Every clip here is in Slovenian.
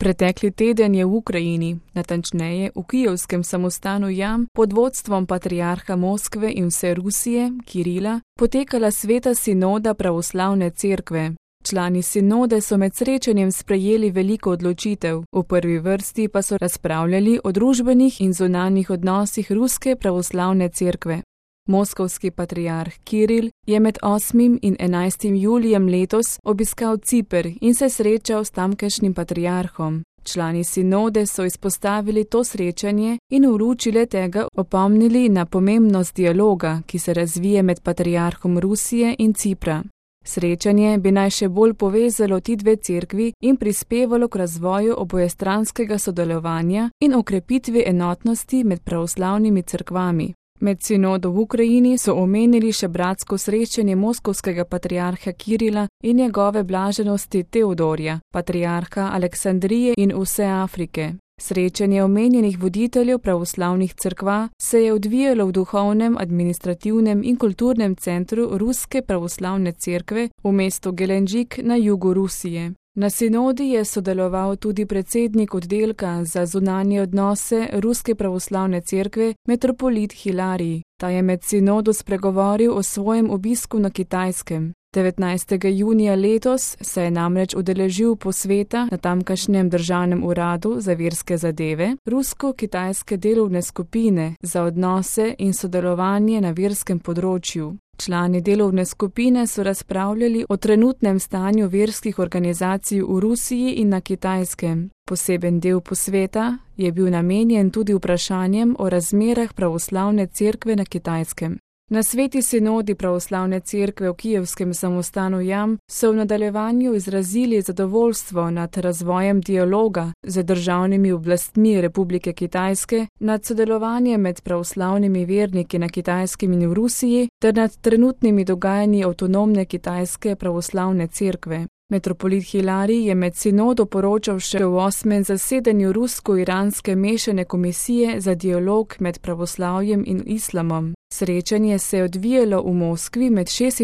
Pretekli teden je v Ukrajini, natančneje v kijevskem samostanu Jam, pod vodstvom patriarha Moskve in vse Rusije, Kirila, potekala sveta sinoda pravoslavne cerkve. Člani sinode so med srečanjem sprejeli veliko odločitev, v prvi vrsti pa so razpravljali o družbenih in zunanjih odnosih ruske pravoslavne cerkve. Moskovski patriarh Kiril je med 8. in 11. julijem letos obiskal Ciper in se srečal s tamkajšnjim patriarhom. Člani sinode so izpostavili to srečanje in v luči le-tega opomnili na pomembnost dialoga, ki se razvije med patriarhom Rusije in Cipra. Srečanje bi naj še bolj povezalo ti dve cerkvi in prispevalo k razvoju obojestranskega sodelovanja in okrepitvi enotnosti med pravoslavnimi cerkvami. Med sinodo v Ukrajini so omenili še bratsko srečanje moskovskega patriarha Kirila in njegove blaženosti Teodorja, patriarha Aleksandrije in vse Afrike. Srečanje omenjenih voditeljev pravoslavnih cerkva se je odvijalo v duhovnem, administrativnem in kulturnem centru Ruske pravoslavne cerkve v mestu Gelenđik na jugu Rusije. Na sinodi je sodeloval tudi predsednik oddelka za zunanje odnose Ruske pravoslavne cerkve, metropolit Hilarij. Ta je med sinodo spregovoril o svojem obisku na Kitajskem. 19. junija letos se je namreč udeležil posveta na tamkajšnjem državnem uradu za verske zadeve rusko-kitajske delovne skupine za odnose in sodelovanje na verskem področju. Člani delovne skupine so razpravljali o trenutnem stanju verskih organizacij v Rusiji in na Kitajskem. Poseben del posveta je bil namenjen tudi vprašanjem o razmerah pravoslavne cerkve na Kitajskem. Na sveti sinodi pravoslavne cerkve v kijevskem samostanu Jam so v nadaljevanju izrazili zadovoljstvo nad razvojem dialoga z državnimi oblastmi Republike Kitajske, nad sodelovanjem med pravoslavnimi verniki na Kitajskem in v Rusiji ter nad trenutnimi dogajanji avtonomne kitajske pravoslavne cerkve. Metropolit Hilarij je med sinodo poročal še o 8. zasedanju rusko-iranske mešane komisije za dialog med pravoslavjem in islamom. Srečanje se je odvijalo v Moskvi med 26.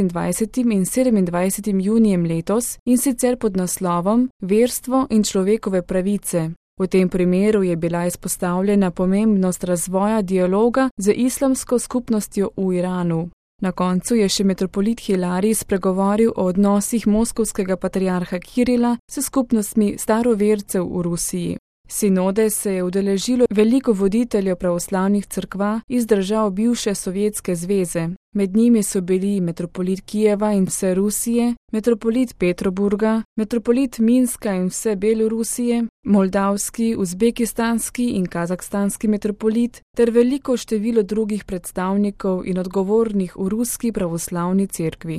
in 27. junijem letos in sicer pod naslovom Verstvo in človekove pravice. V tem primeru je bila izpostavljena pomembnost razvoja dialoga z islamsko skupnostjo v Iranu. Na koncu je še metropolit Hilarij spregovoril o odnosih moskovskega patriarha Kirila s skupnostmi starovercev v Rusiji. Sinode se je udeležilo veliko voditeljev pravoslavnih cerkva iz držav bivše Sovjetske zveze. Med njimi so bili metropolit Kijeva in vse Rusije, metropolit Petroburga, metropolit Minska in vse Belorusije, moldavski, uzbekistanski in kazahstanski metropolit ter veliko število drugih predstavnikov in odgovornih v ruski pravoslavni cerkvi.